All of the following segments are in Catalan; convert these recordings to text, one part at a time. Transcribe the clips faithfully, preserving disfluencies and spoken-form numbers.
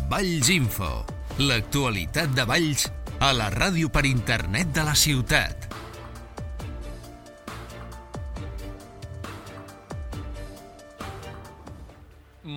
Valls Info, l'actualitat de Valls a la ràdio per internet de la ciutat.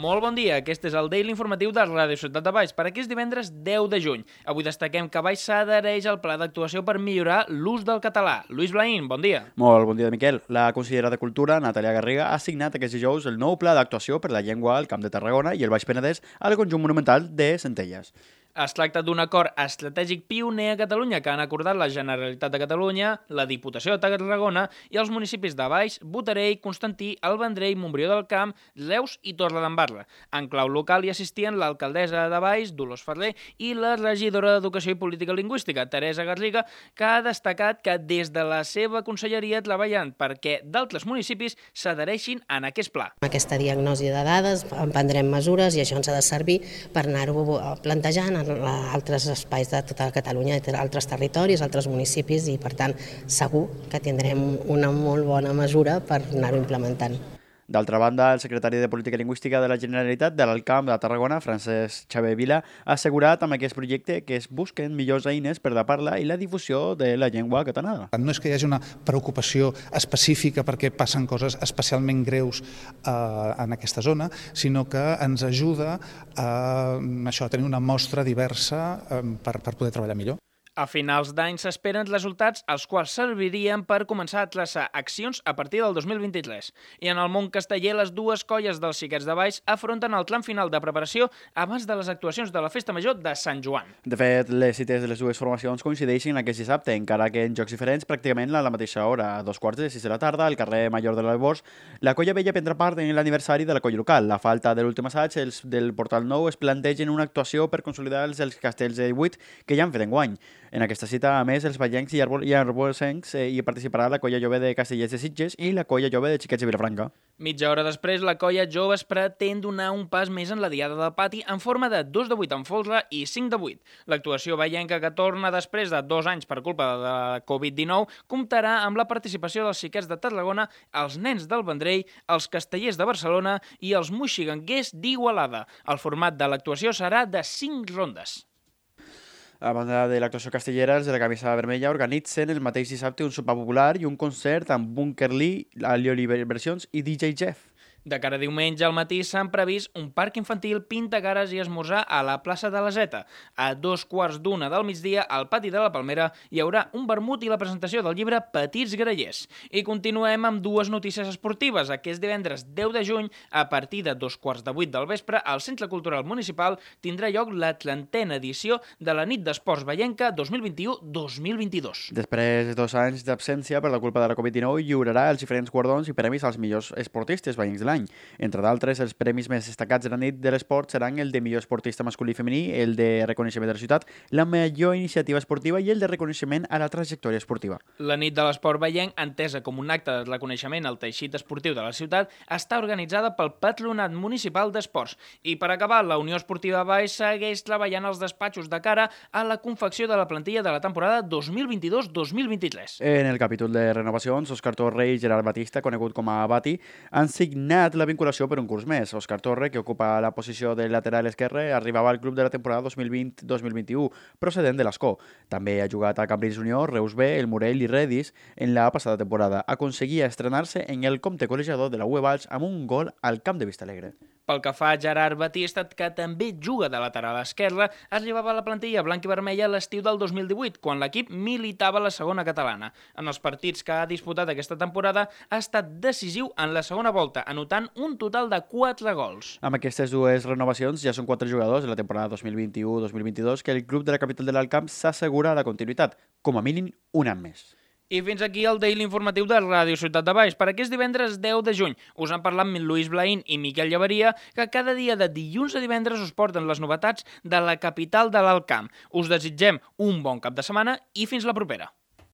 Molt bon dia, aquest és el Daily Informatiu de Ràdio Ciutat de Valls per aquest divendres deu de juny. Avui destaquem que Valls s'adhereix al pla d'actuació per millorar l'ús del català. Lluís Blaín, bon dia. Molt bon dia, Miquel. La consellera de Cultura, Natàlia Garriga, ha signat aquest dijous el nou pla d'actuació per la llengua al Camp de Tarragona i el Baix Penedès al conjunt monumental de Centelles. Es tracta d'un acord estratègic pioner a Catalunya que han acordat la Generalitat de Catalunya, la Diputació de Tarragona i els municipis de Valls, Botarell, Constantí, El Vendrell, Montbrió del Camp, Reus i Torredembarra. En clau local hi assistien l'alcaldessa de Valls, Dolors Ferrer, i la regidora d'Educació i Política Lingüística, Teresa Garriga, que ha destacat que des de la seva conselleria treballen perquè d'altres municipis s'adhereixin en aquest pla. Amb aquesta diagnosi de dades en prendrem mesures i això ens ha de servir per anar-ho plantejant a altres espais de tota Catalunya, altres territoris, altres municipis i, per tant, segur que tindrem una molt bona mesura per anar-ho implementant. D'altra banda, el secretari de Política Lingüística de la Generalitat de l'Alt Camp de Tarragona, Francesc Xavier Vila, ha assegurat amb aquest projecte que es busquen millors eines per la parla i la difusió de la llengua catalana. No és que hi hagi una preocupació específica perquè passen coses especialment greus eh, en aquesta zona, sinó que ens ajuda a, això, a tenir una mostra diversa eh, per, per poder treballar millor. A finals d'any s'esperen resultats els quals servirien per començar a traçar accions a partir del dos mil vint-i-tres. I en el món casteller, les dues colles dels Xiquets de Valls afronten el tram final de preparació abans de les actuacions de la Festa Major de Sant Joan. De fet, les cites de les dues formacions coincideixen aquest dissabte, encara que en jocs diferents pràcticament a la mateixa hora. A dos quarts de sis de la tarda, al carrer Major de l'Albors, la colla vella prendrà part en l'aniversari de la colla local. La falta de l'últim assaig, els del Portal Nou es plantegen una actuació per consolidar els, els castells de divuit que ja han fet enguany. En aquesta cita, a més, els vallencs i arbocencs eh, hi participarà la colla jove de Castellers de Sitges i la colla jove de Xiquets de Vilafranca. Mitja hora després, la colla joves pretén donar un pas més en la diada del pati en forma de dos de vuit en folre i cinc de vuit. L'actuació vallenca, que torna després de dos anys per culpa de la covid dinou, comptarà amb la participació dels Xiquets de Tarragona, els nens del Vendrell, els Castellers de Barcelona i els moixiganguers d'Igualada. El format de l'actuació serà de cinc rondes. A banda de l'actuació castellera, els de la camisa vermella organitzen el mateix dissabte un sopar popular i un concert amb Bunker Lee, Alioli Versions i D J Jeff. De cara a diumenge al matí s'han previst un parc infantil, pintacares i esmorzar a la plaça de la Zeta. A dos quarts d'una del migdia, al pati de la Palmera, hi haurà un vermut i la presentació del llibre Petits Grallers. I continuem amb dues notícies esportives. Aquest divendres deu de juny, a partir de dos quarts de vuit del vespre, al Centre Cultural Municipal tindrà lloc la trentena edició de la Nit d'Esports Vallenca dos mil vint-i-u dos mil vint-i-dos. Després de dos anys d'absència per la culpa de la covid dinou, lliurarà els diferents guardons i premis als millors esportistes vallencs de l'any. Entre d'altres, els premis més destacats de la nit de l'esport seran el de millor esportista masculí i femení, el de reconeixement de la ciutat, la millor iniciativa esportiva i el de reconeixement a la trajectòria esportiva. La nit de l'esport vallenc, entesa com un acte de reconeixement al teixit esportiu de la ciutat, està organitzada pel Patronat Municipal d'Esports. I per acabar, la Unió Esportiva Valls segueix treballant als despatxos de cara a la confecció de la plantilla de la temporada dos mil vint-i-dos dos mil vint-i-tres. En el capítol de renovacions, Òscar Torre i Gerard Batista, conegut com a Bati, han signat la vinculació per un curs més. Òscar Torre, que ocupa la posició de lateral esquerre, arribava al club de la temporada dos mil vint dos mil vint-i-u, procedent de l'Escó. També ha jugat a Cambrils Unió, Reus B, el Morell i Redis en la passada temporada. Aconseguia estrenar-se en el compte col·legiador de la U E Valls amb un gol al camp de Vistalegre. Pel que fa a Gerard Batista, que també juga de lateral esquerre, arribava a la plantilla blanc i vermella l'estiu del dos mil divuit, quan l'equip militava a la segona catalana. En els partits que ha disputat aquesta temporada ha estat decisiu en la segona volta, anotant un total de quatre gols. Amb aquestes dues renovacions ja són quatre jugadors de la temporada dos mil vint-i-u dos mil vint-i-dos que el club de la capital de l'Alt Camp s'assegura la continuïtat, com a mínim un any més. I fins aquí el Daily Informatiu de Ràdio Ciutat de Valls per aquest divendres deu de juny. Us han parlat Lluís Blaín i Miquel Llaveria, que cada dia de dilluns a divendres us porten les novetats de la capital de l'Alt Camp. Us desitgem un bon cap de setmana i fins la propera.